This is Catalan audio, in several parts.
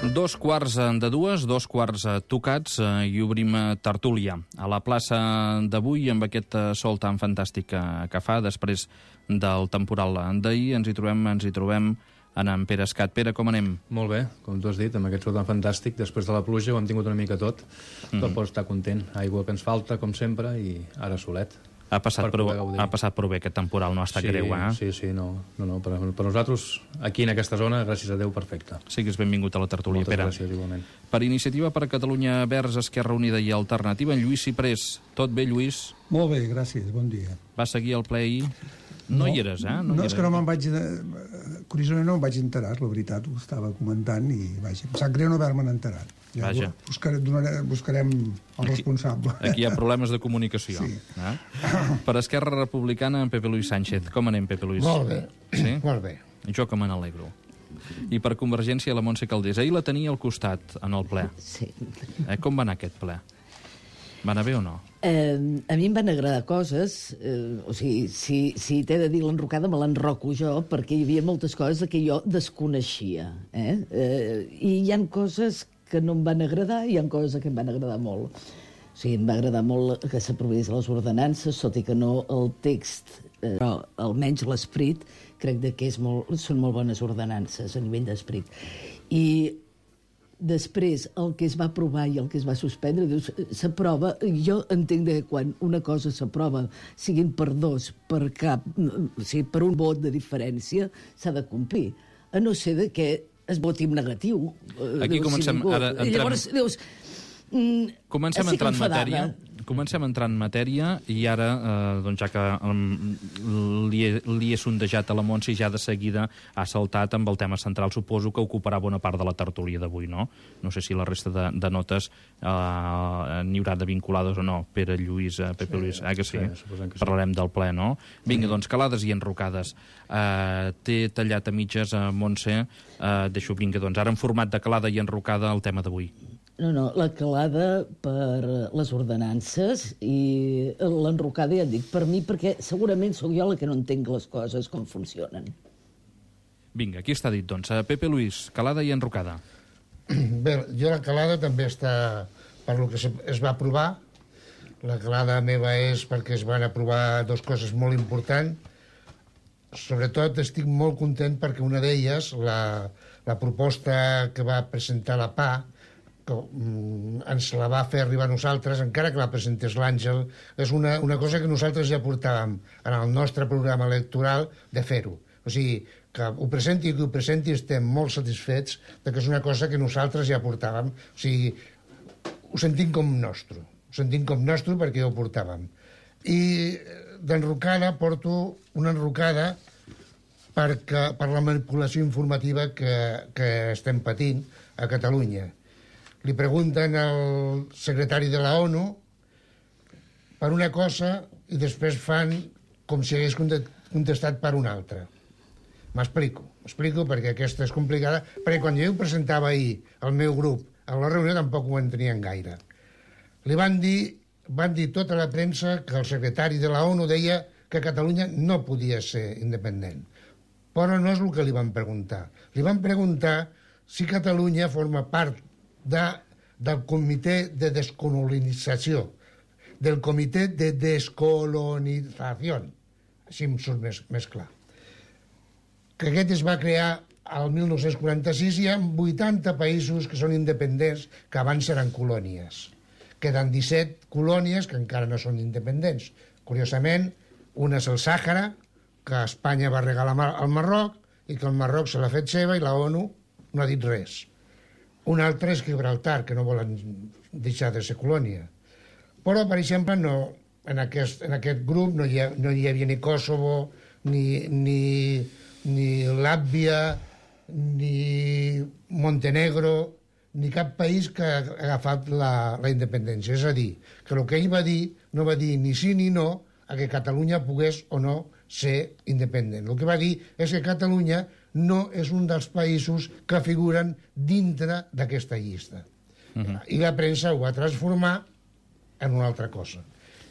2:15, 2:15 tocats, i obrim tertúlia a la plaça d'avui amb aquest sol tan fantàstic que fa després del temporal d'ahir. Ens hi trobem en Pere Escat. Pere, com anem? Molt bé, com tu has dit, amb aquest sol tan fantàstic. Després de la pluja ho hem tingut una mica tot, però pots estar content. Aigua que ens falta, com sempre, i ara solet. Ha passat prou bé aquest temporal, no ha estat greu, eh? Sí, no. Per nosaltres, aquí en aquesta zona, gràcies a Déu, perfecte. Siguis benvingut a la tertúlia, Pere. Moltes gràcies, igualment. Per Iniciativa per Catalunya Verds, Esquerra Unida i Alternativa, en Lluís Ciprés. Tot bé, Lluís? Molt bé, gràcies, bon dia. Va seguir el ple ahir? No hi eres, eh? No, és que no me'n vaig... Curiosament no me'n vaig enterar, la veritat, ho estava comentant i, vaja, em sap greu no haver-me'n enterat. Ja Vaja. Buscarem el responsable. Aquí hi ha problemes de comunicació. Sí. Per Esquerra Republicana, en Pepe Luis Sánchez. Com anem, Pepe Luis? Molt bé, Sí? molt bé. Jo que me n'alegro. I per Convergència, la Montse Calders. Ahir la tenia al costat, en el ple. Sí. Com va anar aquest ple? Va anar bé o no? A mi em van agradar coses, o sigui, si t'he de dir l'enrocada, me l'enroco jo, perquè hi havia moltes coses que jo desconeixia. I hi han coses que no em van agradar i hi ha coses que em van agradar molt. O sigui, em va agradar molt que s'aprovés les ordenances, tot i que no el text, però almenys l'esperit, crec que són molt bones ordenances a nivell d'esperit. I després, el que es va aprovar i el que es va suspendre, dius, s'aprova, jo entenc que quan una cosa s'aprova, siguin per dos, per cap, o sigui, per un vot de diferència, s'ha de complir. A no ser que es voti en negatiu. Aquí comencem, ara entrem... Llavors, dius... Comencem a entrar en matèria i ara, doncs ja que li he sondejat a la Montse, ja de seguida ha saltat amb el tema central. Suposo que ocuparà bona part de la tertúlia d'avui, no? No sé si la resta de notes n'hi haurà de vinculades o no. Pere, Lluís, Pepe Luis, que sí? Suposem que sí. Parlarem del ple, no? Vinga, doncs, calades i enrocades. T'he tallat a mitges, Montse. Vinga, doncs, ara en format de calada i enrocada el tema d'avui. No, la calada per les ordenances i l'enrocada, ja et dic, per mi, perquè segurament sóc jo la que no entenc les coses com funcionen. Vinga, aquí està dit, doncs. Pepe Luis, calada i enrocada. Bé, jo la calada també està per lo que es va aprovar. La calada meva és perquè es van aprovar dues coses molt importants. Sobretot estic molt content perquè una d'elles, la proposta que va presentar la PA, ens la va fer arribar a nosaltres, encara que la presentés l'Àngel, és una cosa que nosaltres ja portàvem en el nostre programa electoral de fer-ho. O sigui, que ho presenti qui ho presenti, estem molt satisfets de que és una cosa que nosaltres ja portàvem. O sigui, ho sentim com nostre. Ho sentim com nostre perquè ja ho portàvem. I d'enrocada porto una enrocada per la manipulació informativa que estem patint a Catalunya. Li pregunten al secretari de la ONU per una cosa i després fan com si hagués contestat per una altra. M'explico perquè aquesta és complicada, perquè quan jo ho presentava ahir al meu grup a la reunió tampoc ho entenien gaire. Li van dir tota la premsa que el secretari de la ONU deia que Catalunya no podia ser independent. Però no és el que li van preguntar. Li van preguntar si Catalunya forma part del comitè de descolonització, del comitè de descolonització, així em surt més clar, que aquest es va crear al 1946 i hi ha 80 països que són independents que abans eren colònies. Queden 17 colònies que encara no són independents. Curiosament, una és el Sàhara, que Espanya va regalar al Marroc i que el Marroc se l'ha fet seva i la ONU no ha dit res. Un altre és Gibraltar, que no volen deixar de ser colònia. Però, per exemple, en aquest grup no hi havia ni Kosovo, ni Làtvia, ni Montenegro, ni cap país que ha agafat la independència. És a dir, que el que ell va dir no va dir ni sí ni no a que Catalunya pogués o no ser independent. El que va dir és que Catalunya no és un dels països que figuren dintre d'aquesta llista. I la premsa ho va transformar en una altra cosa.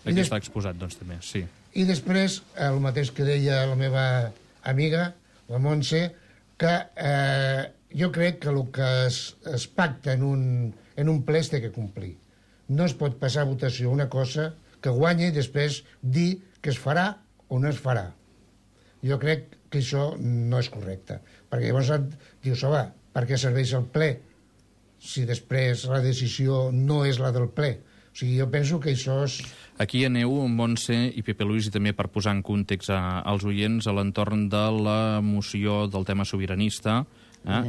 Aquí està exposat, doncs, també, sí. I després, el mateix que deia la meva amiga, la Montse, que jo crec que el que es pacta en un ple es té que complir. No es pot passar a votació una cosa que guanyi i després dir que es farà o no es farà. Jo crec que això no és correcte. Perquè llavors dius, home, per què serveix el ple si després la decisió no és la del ple? O sigui, jo penso que això és... Aquí aneu, Montse i Pepe Luis, i també per posar en context als oients a l'entorn de la moció del tema sobiranista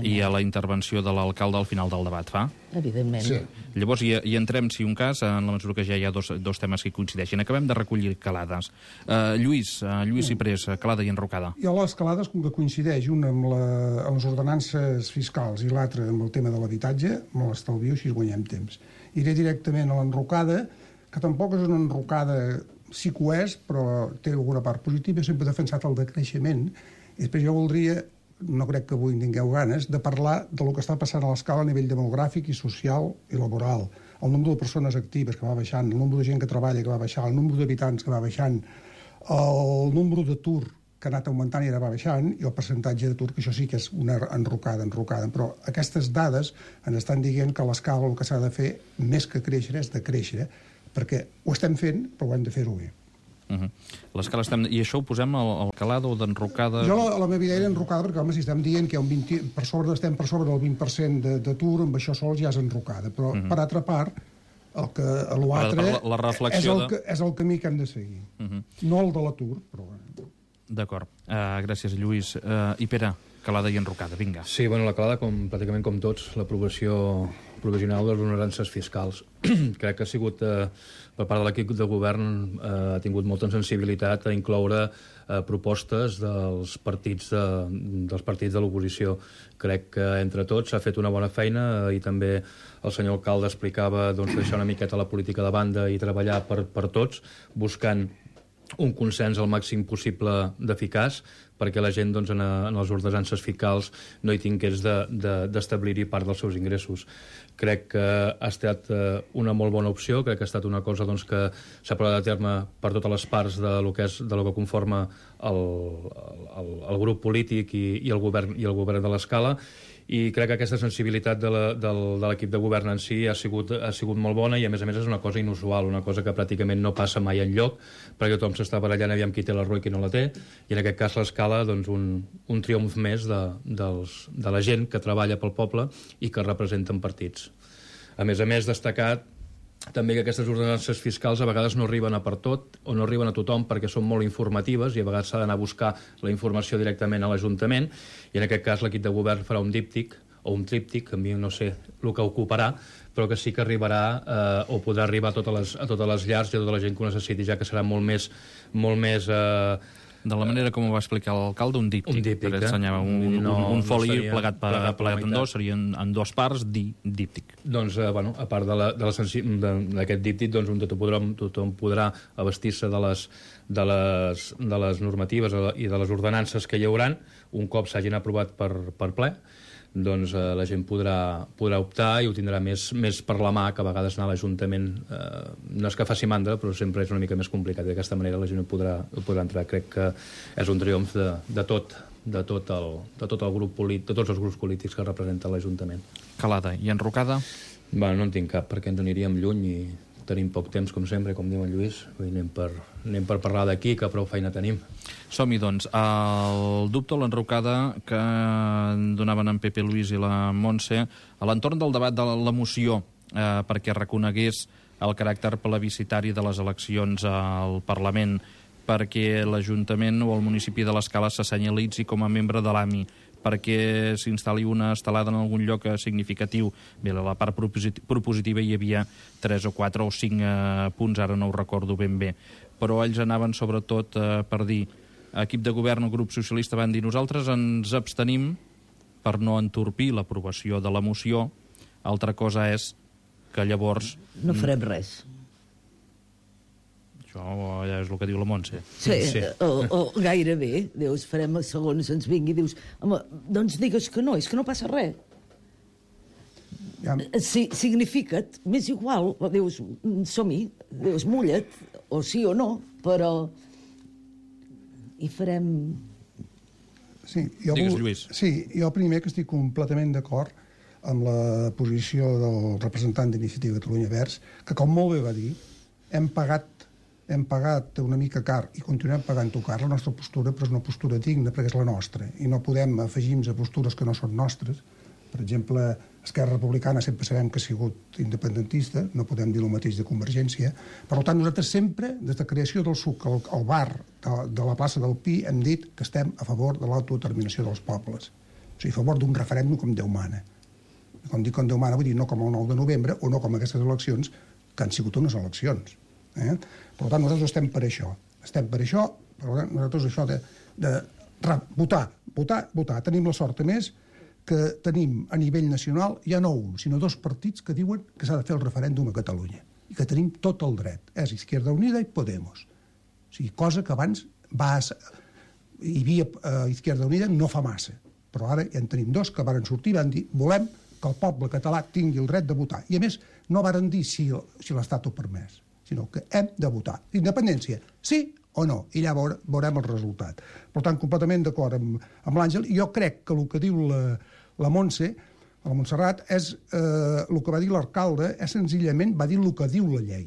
i a la intervenció de l'alcalde al final del debat, fa? Evidentment. Sí. Llavors hi entrem, si un cas, en la mesura que ja hi ha dos temes que coincideixen. Acabem de recollir calades. Lluís Ciprés, calada i enrocada. I a les calades, com que coincideix una amb les ordenances fiscals i l'altra amb el tema de l'habitatge, me l'estalvio, així guanyem temps. Iré directament a l'enrocada, que tampoc és una enrocada, sí que ho és, però té alguna part positiva. Sempre he defensat el decreixement. I després jo voldria, no crec que avui en tingueu ganes, de parlar del que està passant a l'escala a nivell demogràfic i social i laboral. El nombre de persones actives que va baixant, el nombre de gent que treballa que va baixant, el nombre d'habitants que va baixant, el nombre d'atur que ha anat augmentant i ara va baixant, i el percentatge d'atur, que això sí que és una enrocada. Però aquestes dades ens estan dient que a l'escala el que s'ha de fer, més que créixer, és decréixer, perquè ho estem fent, però ho hem de fer-ho bé. L'escala I això ho posem al calada o d'enrocada? Jo a la meva idea era enrocada, perquè home, si estem dient que hi ha estem per sobre del 20% d'atur, amb això sols ja és enrocada. Però per altra part, l'altre és el camí que hem de seguir. No el de l'atur, però bueno. D'acord. Gràcies, Lluís. I Pere, calada i enrocada, vinga. Sí, bueno, la calada, pràcticament com tots, l'aprovació provisional de les ordenances fiscals. Crec que ha sigut, per part de l'equip de govern, ha tingut molta sensibilitat a incloure propostes dels partits de l'oposició. Crec que entre tots s'ha fet una bona feina i també el senyor alcalde explicava deixar una miqueta la política de banda i treballar per tots, buscant un consens al màxim possible d'eficaç perquè la gent en les ordenances fiscals no hi tingués d'establir-hi part dels seus ingressos. Crec que ha estat una molt bona opció, crec que ha estat una cosa que s'ha portat a terme per totes les parts de lo que conforma el grup polític i el govern de l'escala, i crec que aquesta sensibilitat de l'equip de govern en si ha sigut molt bona, i a més és una cosa inusual, una cosa que pràcticament no passa mai enlloc, perquè tothom s'està barallant aviam qui té la raó i qui no la té, i en aquest cas l'escala un triomf més de la gent que treballa pel poble i que representen partits. A més, destacat també que aquestes ordenances fiscals a vegades no arriben a per tot o no arriben a tothom perquè són molt informatives i a vegades s'ha d'anar a buscar la informació directament a l'Ajuntament, i en aquest cas l'equip de govern farà un díptic o un tríptic, a mi no sé el que ocuparà, però que sí que arribarà o podrà arribar a totes les llars i a tota la gent que ho necessiti, ja que serà molt més de la manera com ho va explicar l'alcalde, un díptic, que ensenyava un foli plegat en dos, serien en dues parts, díptic. Doncs, a part d'aquest díptic, tothom podrà abastir-se de les normatives i de les ordenances que hi hauran un cop s'hagin aprovat per ple. Doncs la gent podrà optar i ho tindrà més per la mà, que a vegades anar a l'Ajuntament no és que faci mandra, però sempre és una mica més complicat. D'aquesta manera la gent ho podrà entrar. Crec que és un triomf de tots els grups polítics que representen l'Ajuntament. Calada i enrocada? No en tinc cap, perquè ens aniríem lluny i tenim poc temps, com sempre, com diu en Lluís. Anem per parlar d'aquí, que prou feina tenim. Som-hi, doncs. El dubte o l'enrocada que donaven en Pepe Luis i la Montse a l'entorn del debat de la moció perquè reconegués el caràcter plebiscitari de les eleccions al Parlament, perquè l'Ajuntament o el municipi de l'Escala se senyalitzi com a membre de l'AMI, perquè s'instal·li una estelada en algun lloc significatiu. Bé, a la part propositiva hi havia 3 o 4 o 5 punts, ara no ho recordo ben bé, però ells anaven sobretot per dir, equip de govern o grup socialista van dir, nosaltres ens abstenim per no entorpir l'aprovació de la moció. Altra cosa és que llavors... No farem res. Això ja és el que diu la Montse. Sí. O gairebé. Dius, farem segons ens vingui. Dius, home, doncs digues que no, és que no passa res. Significa't, m'és igual. Dius, som-hi. Dius, mulla't, o sí o no, però... I farem... Digues, Lluís. Sí, jo primer que estic completament d'acord amb la posició del representant d'Iniciativa Catalunya Verds, que com molt bé va dir, hem pagat una mica car i continuem pagant-ho car la nostra postura, però és una postura digna perquè és la nostra i no podem afegir-nos a postures que no són nostres. Per exemple, Esquerra Republicana sempre sabem que ha sigut independentista, no podem dir el mateix de Convergència. Per tant, nosaltres sempre, des de creació del SUC al bar de la plaça del Pi, hem dit que estem a favor de l'autodeterminació dels pobles. O sigui, a favor d'un referèndum com Déu mana. Quan dic com Déu mana, vull dir no com el 9 de novembre o no com aquestes eleccions, que han sigut unes eleccions. Per tant, nosaltres estem per això. Estem per això, per tant, nosaltres això de votar. Tenim la sort, a més, que tenim a nivell nacional ja no un, sinó 2 partits que diuen que s'ha de fer el referèndum a Catalunya i que tenim tot el dret. És Izquierda Unida i Podemos. O sigui, cosa que abans hi havia Izquierda Unida no fa massa, però ara ja en tenim 2 que varen sortir i van dir volem que el poble català tingui el dret de votar. I a més, no varen dir si l'Estat ho permès, sinó que hem de votar. Independència, sí o no, i llavors veurem el resultat. Per tant, completament d'acord amb l'Àngel, i jo crec que el que diu la Montse, la Montserrat, és el que va dir l'alcalde, és senzillament va dir el que diu la llei.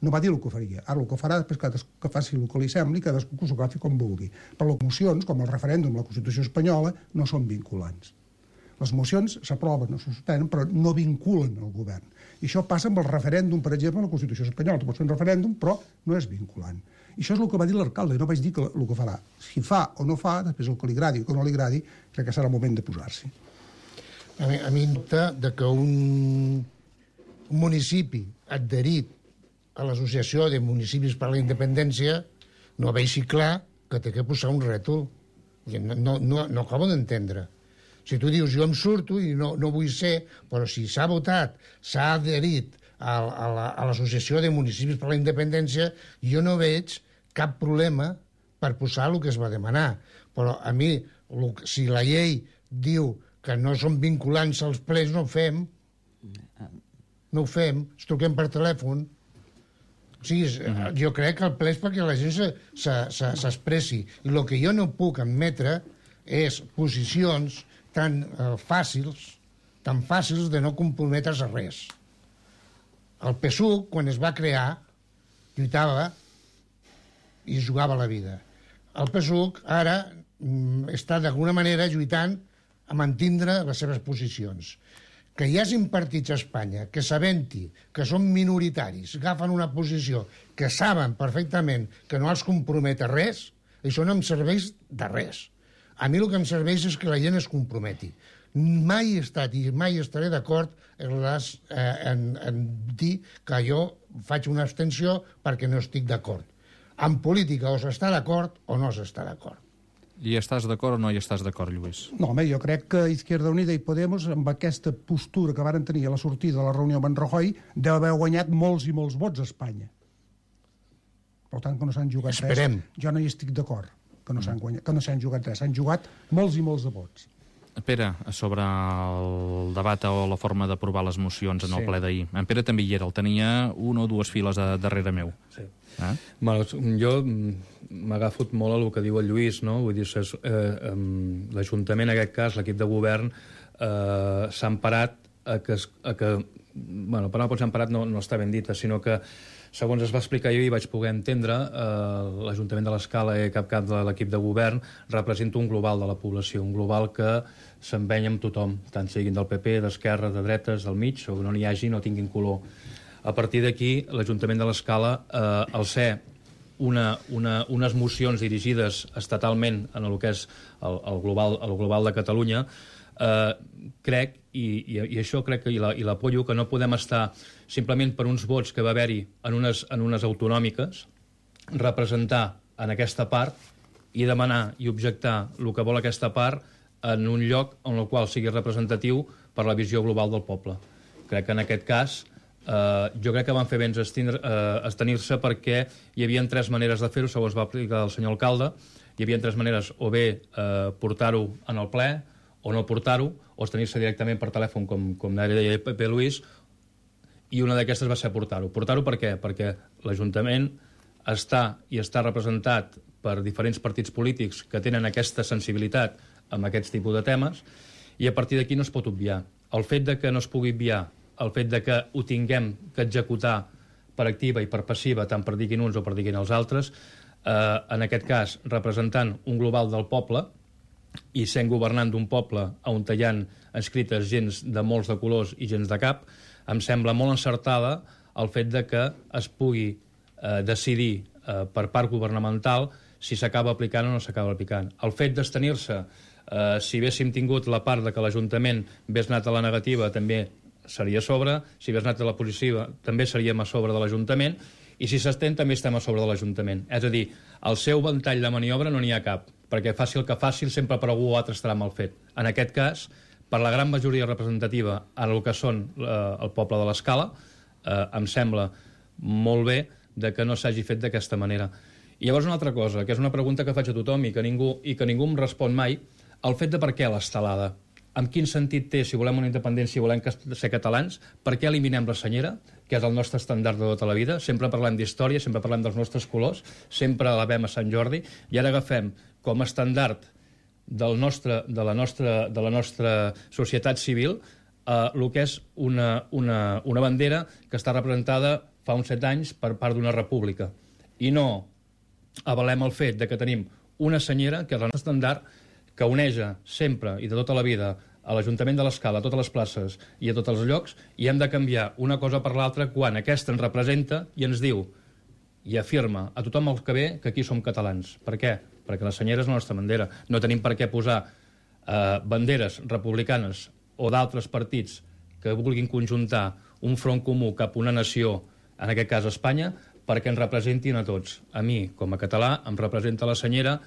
No va dir el que faria. Ara el que farà després que faci el que li sembli, cadascú que s'ho agafi com vulgui. Però les mocions, com el referèndum, la Constitució espanyola, no són vinculants. Les mocions s'aproven o se suspenen, però no vinculen el govern. I això passa amb el referèndum, per exemple, a la Constitució espanyola. Tu pots fer un referèndum, però no és vinculant. I això és el que va dir l'alcalde, i no vaig dir el que farà. Si fa o no fa, després el que li agradi o que no li agradi, crec que serà el moment de posar-s'hi. A mi em dubta que un municipi adherit a l'Associació de Municipis per a la Independència no vegi clar que té que posar un rètol. No acabo d'entendre. Si tu dius, jo em surto i no vull ser, però si s'ha votat, s'ha adherit a l'Associació de Municipis per a la Independència, jo no veig cap problema per posar el que es va demanar. Però a mi, si la llei diu que no són vinculants als plens, no ho fem. No ho fem, ens truquem per telèfon. O sigui, jo crec que el ple és perquè la gent s'expressi. I el que jo no puc admetre és posicions tan fàcils de no comprometre's a res. El PSUC, quan es va crear, lluitava i jugava la vida. El PSUC ara està d'alguna manera lluitant a mantindre les seves posicions. Que hi hagin partits a Espanya que sabent-hi que són minoritaris, agafen una posició que saben perfectament que no els compromet a res, això no em serveix de res. A mi el que em serveix és que la gent es comprometi. Mai he estat i mai estaré d'acord en dir que jo faig una abstenció perquè no estic d'acord. En política o s'està d'acord o no s'està d'acord. I estàs d'acord o no hi estàs d'acord, Lluís? No, home, jo crec que Izquierda Unida i Podemos, amb aquesta postura que varen tenir a la sortida de la reunió amb en Rajoy, deu haver guanyat molts i molts vots a Espanya. Per tant, que no s'han jugat res. Jo no hi estic d'acord que no s'han jugat res. S'han jugat molts i molts de vots. Pere, sobre el debat o la forma d'aprovar les mocions en el ple d'ahir. En Pere també hi era, el tenia una o dues files darrere meu. Sí. Bueno, jo m'agafo molt al que diu el Lluís, no? Vull dir, l'Ajuntament, en aquest cas, l'equip de govern, s'ha emparat a que bueno, per no s'ha emparat no està ben dita, sinó que segons es va explicar jo i vaig poder entendre, l'Ajuntament de l'Escala i cap de l'equip de govern representa un global de la població, un global que s'empenya amb tothom, tant siguin del PP, d'esquerra, de dretes, del mig, o no n'hi hagi, no tinguin color. A partir d'aquí, l'Ajuntament de l'Escala, al ser unes mocions dirigides estatalment en el que és el global de Catalunya, crec, i això crec que i l'apoyo, que no podem estar simplement per uns vots que va haver-hi en unes autonòmiques, representar en aquesta part i demanar i objectar el que vol aquesta part en un lloc en el qual sigui representatiu per la visió global del poble. Crec que en aquest cas jo crec que van fer bé abstenir-se perquè hi havia 3 maneres de fer-ho, segons va explicar el senyor alcalde. Hi havia 3 maneres, o bé portar-ho en el ple, o no portar-ho, o abstenir-se directament per telèfon, com deia Pepe Luis, i una d'aquestes va ser portar-ho. Portar-ho per què? Perquè l'Ajuntament està representat per diferents partits polítics que tenen aquesta sensibilitat amb aquests tipus de temes, i a partir d'aquí no es pot obviar. El fet de que no es pugui obviar, el fet de que ho tinguem que executar per activa i per passiva, tant per diguin uns o per diguin els altres, en aquest cas representant un global del poble i sent governant d'un poble on hi ha escrites gens de molts de colors i gens de cap, em sembla molt encertada el fet de que es pugui decidir per part governamental si s'acaba aplicant o no s'acaba aplicant. El fet d'estenir-se, si haguéssim tingut la part de que l'Ajuntament hagués anat a la negativa, també seria a sobre, si hagués anat a la positiva, també seríem a sobre de l'Ajuntament, i si s'estén també estem a sobre de l'Ajuntament. És a dir, el seu ventall de maniobra no n'hi ha cap, perquè faci el que faci, sempre per algú o altre estarà mal fet. En aquest cas, per la gran majoria representativa en el que són el poble de l'Escala, em sembla molt bé de que no s'hagi fet d'aquesta manera. I llavors una altra cosa, que és una pregunta que faig a tothom i que ningú em respon mai, el fet de per què l'estelada. En quin sentit té, si volem una independència i volem ser catalans, per què eliminem la senyera, que és el nostre estàndard de tota la vida? Sempre parlem d'història, sempre parlem dels nostres colors, sempre la vem a Sant Jordi, i ara agafem com a estàndard de la nostra societat civil el que és una bandera que està representada fa uns 7 anys per part d'una república. I no avalem el fet de que tenim una senyera, que és el nostre estàndard, que uneja sempre i de tota la vida a l'Ajuntament de l'Escala, a totes les places i a tots els llocs, i hem de canviar una cosa per l'altra quan aquesta ens representa i ens diu i afirma a tothom el que ve que aquí som catalans. Per què? Perquè la senyera és la nostra bandera. No tenim per què posar banderes republicanes o d'altres partits que vulguin conjuntar un front comú cap a una nació, en aquest cas Espanya, perquè ens representin a tots. A mi, com a català, em representa la senyera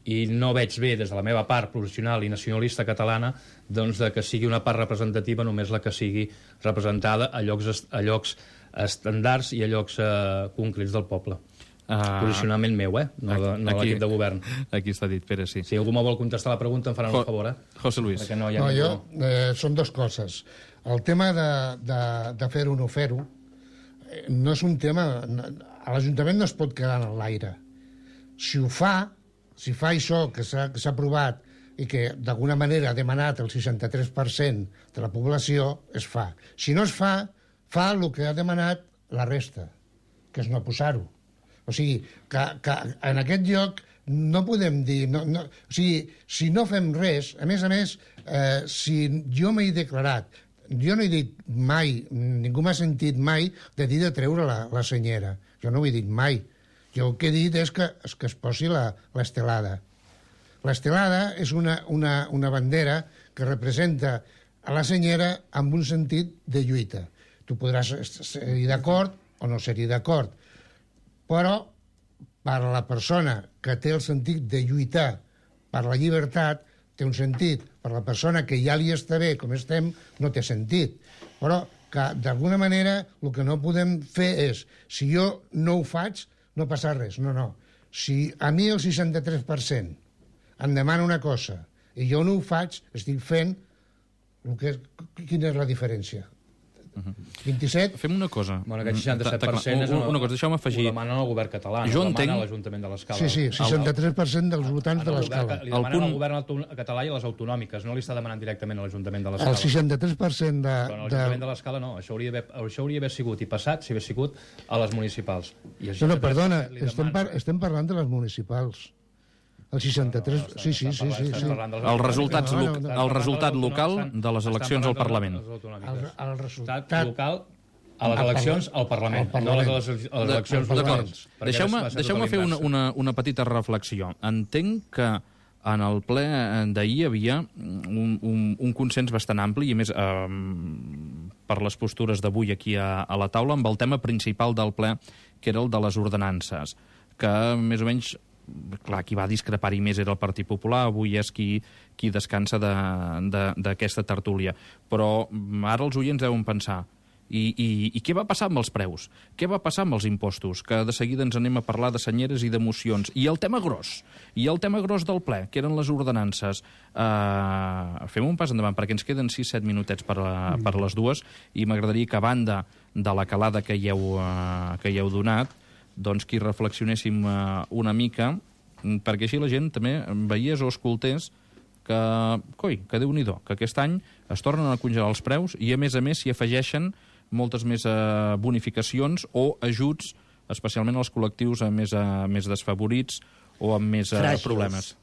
i no veig bé, des de la meva part professional i nacionalista catalana, doncs que sigui una part representativa només la que sigui representada a llocs estandards i a llocs concrets del poble. Posicionament meu, no l'equip de govern. Aquí està dit, Pere, sí. Si algú me vol contestar la pregunta, em faran un favor, José Luis. Són dues coses. El tema de fer-ho o no fer-ho no és un tema... A l'Ajuntament no es pot quedar en l'aire. Si fa això que s'ha aprovat i que d'alguna manera ha demanat el 63% de la població, es fa. Si no es fa, fa el que ha demanat la resta, que és no posar-ho. O sigui, que en aquest lloc no podem dir... O sigui, si no fem res, a més, si jo m'he declarat, jo no he dit mai, ningú m'ha sentit mai de dir de treure la senyera. Jo no ho he dit mai. Jo el que he dit és que es posi l'estelada. L'estelada és una bandera que representa a la senyera amb un sentit de lluita. Tu podràs ser-hi d'acord o no ser-hi d'acord, però per a la persona que té el sentit de lluitar per la llibertat té un sentit. Per a la persona que ja li està bé com estem no té sentit. Però que d'alguna manera el que no podem fer és, si jo no ho faig, no passa res. No. Si a mi el 63% em demana una cosa i jo no ho faig, estic fent quina és la diferència? 27? Fem una cosa. Bueno, aquest 67% és una cosa, deixeu-me afegir. Ho demanen al govern català, no ho demanen a l'Ajuntament de l'Escala. Sí, 63% dels votants de l'Escala. Li demanen al govern català i a les autonòmiques, no li està demanant directament a l'Ajuntament de l'Escala. El 63% de... Però a l'Ajuntament de l'Escala no, això hauria d'haver sigut i passat si hagués sigut a les municipals. No, perdona, estem parlant de les municipals. El 63... Sí. El resultat local de les eleccions al Parlament. El resultat local a les eleccions al Parlament, no a les eleccions locals. Deixeu-me fer una petita reflexió. Entenc que en el ple d'ahir hi havia un consens bastant ampli, i més per les postures d'avui aquí a la taula, amb el tema principal del ple, que era el de les ordenances, que més o menys... Clar, qui va discrepar-hi més era el Partit Popular, avui és qui descansa d'aquesta tertúlia. Però ara els oients deuen pensar, i què va passar amb els preus? Què va passar amb els impostos? Que de seguida ens anem a parlar de senyeres i d'emocions. I el tema gros del ple, que eren les ordenances. Fem un pas endavant, perquè ens queden 6-7 minutets per les dues, i m'agradaria que, a banda de la calada que hi heu donat, doncs que hi reflexionéssim una mica perquè així la gent també veiés o escoltés que Déu-n'hi-do, que aquest any es tornen a congelar els preus i, a més, s'hi afegeixen moltes més bonificacions o ajuts, especialment als col·lectius més desfavorits o amb més problemes.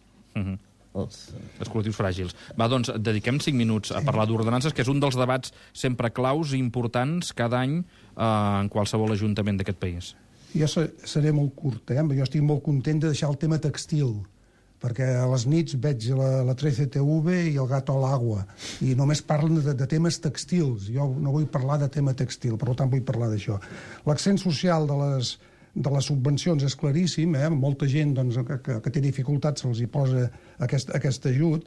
Els col·lectius fràgils. Va, doncs, dediquem 5 minuts a parlar d'ordenances, que és un dels debats sempre claus i importants cada any en qualsevol ajuntament d'aquest país. Jo seré molt curt, Jo estic molt content de deixar el tema textil, perquè a les nits veig la 13TV i el Gato al Agua, i només parlen de temes textils. Jo no vull parlar de tema textil, per tant vull parlar d'això. L'accent social de les subvencions és claríssim, molta gent que té dificultats se'ls hi posa aquest ajut,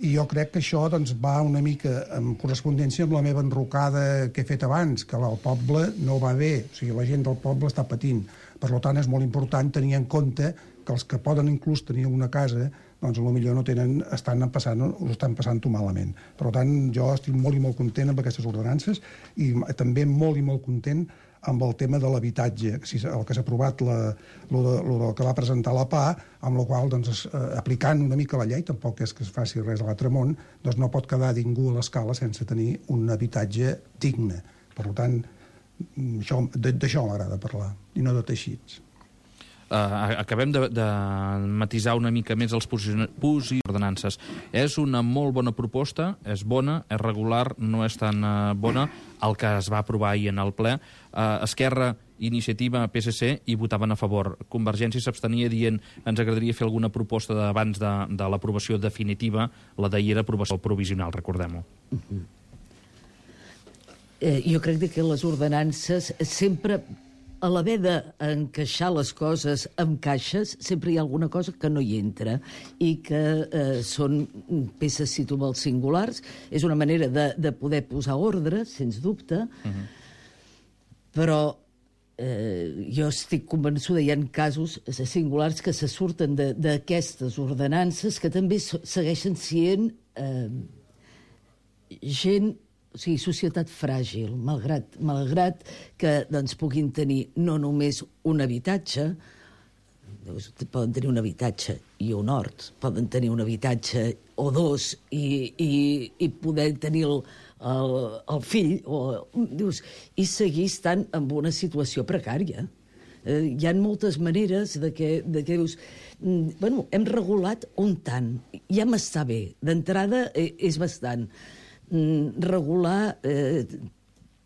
i jo crec que això va una mica en correspondència amb la meva enrocada que he fet abans, que el poble no va bé, o sigui, la gent del poble està patint. Per tant, és molt important tenir en compte que els que poden inclús tenir una casa, doncs potser no tenen, ho estan passant-ho malament. Per tant, jo estic molt i molt content amb aquestes ordenances i també molt i molt content amb el tema de l'habitatge, el que s'ha aprovat, el que va presentar la PA, amb la qual, aplicant una mica la llei, tampoc és que es faci res a l'altre món, doncs no pot quedar ningú a l'escala sense tenir un habitatge digne. Per tant, d'això m'agrada parlar, i no de teixits. Acabem de matisar una mica més els ordenances. És una molt bona proposta, és bona, és regular, no és tan bona el que es va aprovar ahir en el ple. Esquerra, Iniciativa, PSC hi votaven a favor. Convergència s'abstenia dient ens agradaria fer alguna proposta abans de l'aprovació definitiva. La d'ahir era aprovació provisional, recordem-ho. Jo crec que les ordenances sempre, a l'haver d'encaixar les coses amb caixes, sempre hi ha alguna cosa que no hi entra i que són peces, si tu vols, singulars. És una manera de poder posar ordre, sens dubte, però jo estic convençuda, hi ha casos singulars que se surten d'aquestes ordenances que també segueixen sent gent, o sigui, societat fràgil, malgrat que puguin tenir no només un habitatge, poden tenir un habitatge i un hort, poden tenir un habitatge o dos i poder tenir el fill, i seguir estant en una situació precària. Hi ha moltes maneres de que dius, hem regulat un tant, ja m'està bé, d'entrada és bastant. Regular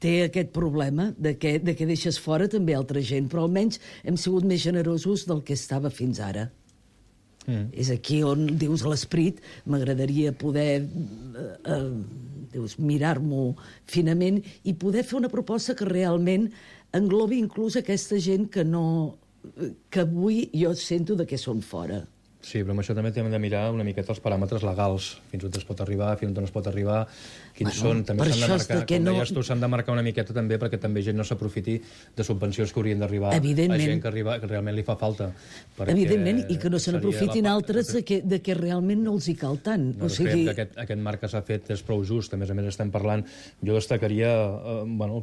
té aquest problema de que deixes fora també altra gent, però almenys hem sigut més generosos del que estava fins ara. És aquí on, dius, l'esperit, m'agradaria poder mirar-m'ho finament i poder fer una proposta que realment englobi inclús aquesta gent que avui jo sento de què són fora. Sí, però amb això també hem de mirar una miqueta els paràmetres legals, fins on es pot arribar, fins on no es pot arribar, quins són, també s'han de marcar, com deies tu, s'han de marcar una miqueta també perquè també gent no s'aprofiti de subvencions que haurien d'arribar a gent que realment li fa falta. Evidentment, i que no se n'aprofitin altres de que realment no els hi cal tant. Creiem que aquest marc que s'ha fet és prou just, a més estem parlant, jo destacaria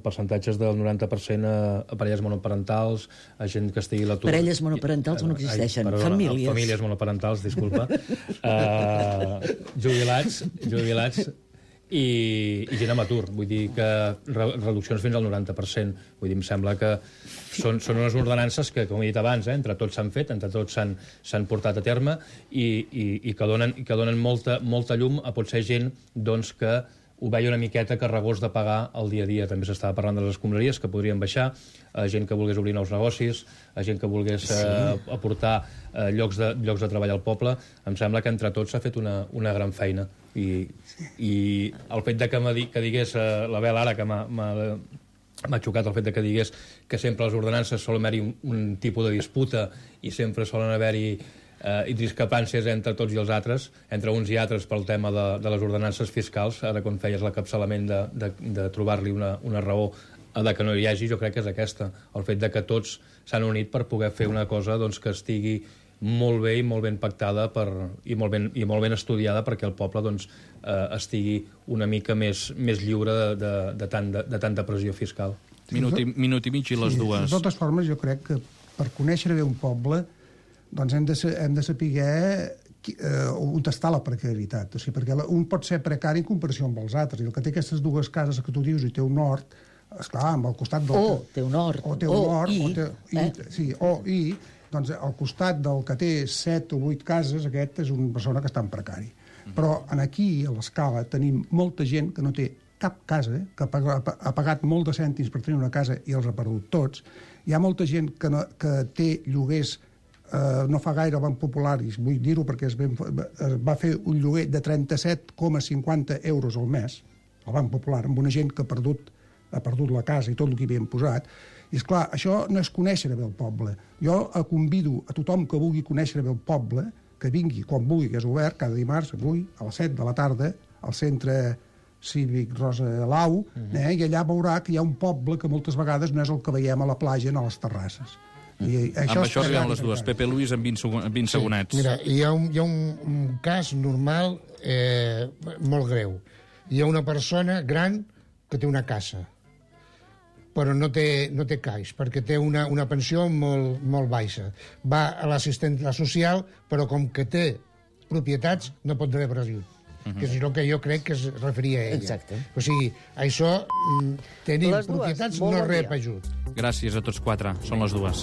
percentatges del 90% a parelles monoparentals, a gent que estigui a l'atur. Parelles monoparentals no existeixen, famílies. Famílies monoparentals, disculpa, jubilats i gent amb atur. Vull dir que reduccions fins al 90%. Vull dir, em sembla que són unes ordenances que, com he dit abans, entre tots s'han fet, entre tots s'han portat a terme i que donen molta llum a potser gent que ho veia una miqueta carregós de pagar el dia a dia. També s'estava parlant de les escombraries que podrien baixar, a gent que volgués obrir nous negocis, a gent que volgués aportar llocs de treball al poble. Em sembla que entre tots s'ha fet una gran feina. I el fet que digués l'Abel ara, que m'ha xocat el fet que digués que sempre a les ordenances sol haver-hi un tipus de disputa i sempre solen haver-hi i discrepàncies entre tots i els altres, entre uns i altres pel tema de les ordenances fiscals. Ara, quan feies l'encapçalament de trobar-li una raó de que no hi hagi, jo crec que és aquesta, el fet que tots s'han unit per poder fer una cosa que estigui molt bé i molt ben pactada i molt ben estudiada perquè el poble estigui una mica més lliure de tanta pressió fiscal. Minut i mig i les dues. De totes formes, jo crec que per conèixer bé un poble doncs hem de saber on està la precarietat. O sigui, perquè un pot ser precari en comparació amb els altres, i el que té aquestes dues cases que tu dius i té un hort, esclar, amb el costat del... Té un hort. Doncs al costat del que té 7 o 8 cases, aquest és una persona que està en precari. Però aquí, a l'Escala, tenim molta gent que no té cap casa, que ha pagat molt de cèntims per tenir una casa i els ha perdut tots. Hi ha molta gent que té lloguers, no fa gaire van popularis, vull dir-ho perquè es va fer un lloguer de 37,50 euros al mes, el Banc Popular, amb una gent que ha perdut la casa i tot el que hi havien posat. I, esclar, això no és conèixer bé el poble. Jo convido a tothom que vulgui conèixer bé el poble, que vingui quan vulgui, que és obert, cada dimarts, avui, a les 7 de la tarda, al centre cívic Rosa Lau, i allà veurà que hi ha un poble que moltes vegades no és el que veiem a la platja ni a les terrasses. Amb això arribem les dues. Pepe Luis, en 20 segonets. Mira, hi ha un cas normal molt greu. Hi ha una persona gran que té una casa, però no té caixa, perquè té una pensió molt baixa. Va a l'assistent social, però com que té propietats, no pot rebre ajut. Que és el que jo crec que es referia a ella. Exacte. O sigui, això, tenint propietats, no rep ajut. Gràcies a tots quatre. Són les dues.